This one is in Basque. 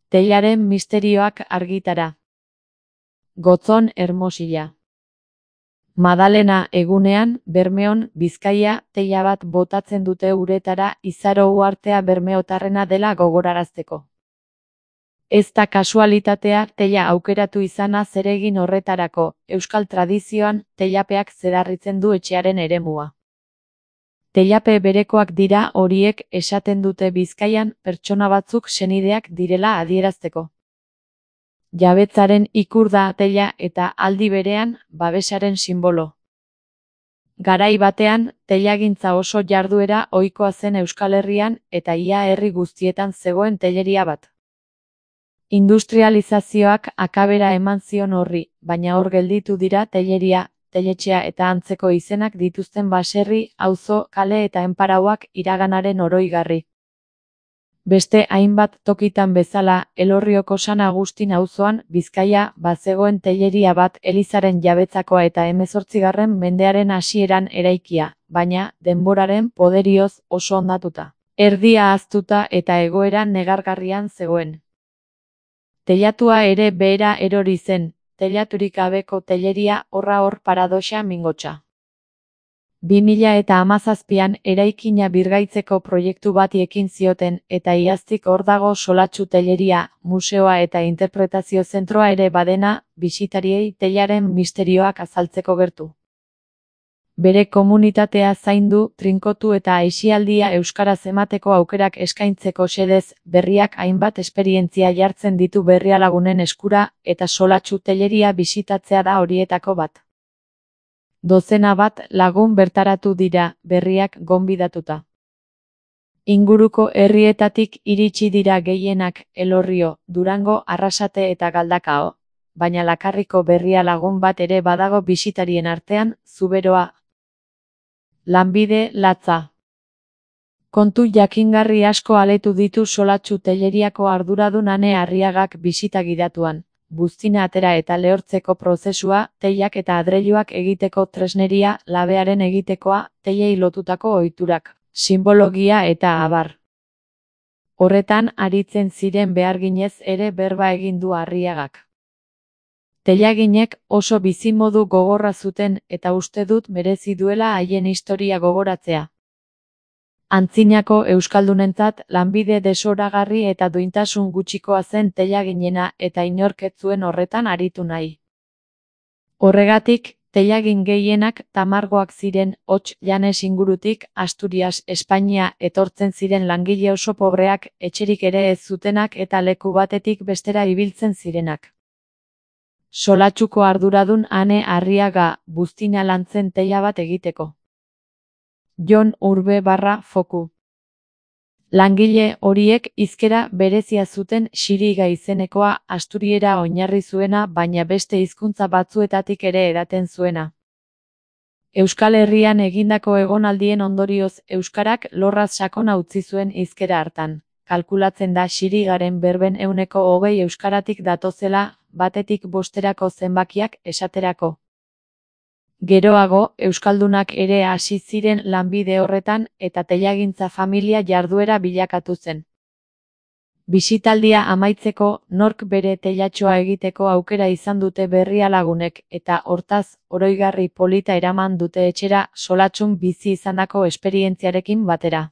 Teilaren misterioak argitara. Gotzon Hermosilla. Madalena egunean, Bermeon, Bizkaia, teila bat botatzen dute uretara Izaro uhartea bermeotarrena dela gogorarazteko. Ez da kasualitatea teila aukeratu izana zeregin horretarako, euskal tradizioan, teilapeak zedarritzen du etxearen eremua. Teilape berekoak dira horiek esaten dute Bizkaian pertsona batzuk senideak direla adierazteko. Jabetzaren ikur da teila eta aldi berean babesaren sinbolo. Garai batean, teilagintza oso jarduera ohikoa zen Euskal Herrian eta ia herri guztietan zegoen teileria bat. Industrializazioak akabera eman zion horri, baina hor gelditu dira teileria, teiletxea eta antzeko izenak dituzten baserri, auzo, kale eta enparauak iraganaren oroigarri. Beste hainbat tokitan bezala, Elorrioko San Agustin auzoan, Bizkaia, bazegoen teileria bat elizaren jabetzakoa eta 18. mendearen hasieran eraikia, baina, denboraren poderioz oso hondatuta. Erdia ahaztuta eta egoera negargarrian zegoen. Teilatua ere behera erori zen, teilaturik gabeko teileria horra hor paradoxa mingotsa. 2017an eraikina birgaitzeko proiektu bati ekin zioten eta iaztik hor dago solatxu teileria, museoa eta interpretazio zentroa ere badena, bisitariei teilaren misterioak azaltzeko gertu. Bere komunitatea zaindu, trinkotu eta aisialdia euskaraz emateko aukerak eskaintzeko xedez, berriak hainbat esperientzia jartzen ditu Berrialagunen eskura eta solatxu teileria bisitatzea da horietako bat. Dozena bat lagun bertaratu dira, berriak gonbidatuta. Inguruko herrietatik iritsi dira gehienak Elorrio, Durango, Arrasate eta Galdakao, baina Lakarriko Berrialagun bat ere badago bisitarien artean, Zuberoa. Lanbide latza. Kontu jakingarri asko aletu ditu solatxu teileriako arduradun Ane Arriagak bisita gidatuan. Buztina atera eta lehortzeko prozesua, teilak eta adreiluak egiteko tresneria, labearen egitekoa, teilei lotutako ohiturak, simbologia eta abar. Horretan aritzen ziren beharginez ere berba egin du Arriagak. Teilaginek oso bizimodu gogorra zuten eta uste dut merezi duela haien historia gogoratzea. Antzinako euskaldunentzat lanbide desoragarri eta duintasun gutxikoa zen teilaginena eta inork ez zuen horretan aritu nahi. Horregatik, teilagin gehienak tamargoak ziren, hots Llanes ingurutik, Asturias, Espainia etortzen ziren langile oso pobreak, etxerik ere ez zutenak eta leku batetik bestera ibiltzen zirenak. Solatxuko arduradun Ane Arriaga, buztina lantzen teila bat egiteko. Jon Urbe/Foku. Langile horiek hizkera berezia zuten Xiriga izenekoa asturiera oinarri zuena baina beste hizkuntza batzuetatik ere edaten zuena. Euskal Herrian egindako egonaldien ondorioz euskarak lorraz sakona utzi zuen hizkera hartan. Kalkulatzen da Xirigaren berben 20% euskaratik datozela, batetik bosterako zenbakiak esaterako. Geroago, euskaldunak ere hasi ziren lanbide horretan eta teilagintza familia jarduera bilakatu zen. Bisitaldia amaitzeko, nork bere teilatxoa egiteko aukera izan dute Berrialagunek eta hortaz, oroigarri polita eraman dute etxera solatxun bizi izandako esperientziarekin batera.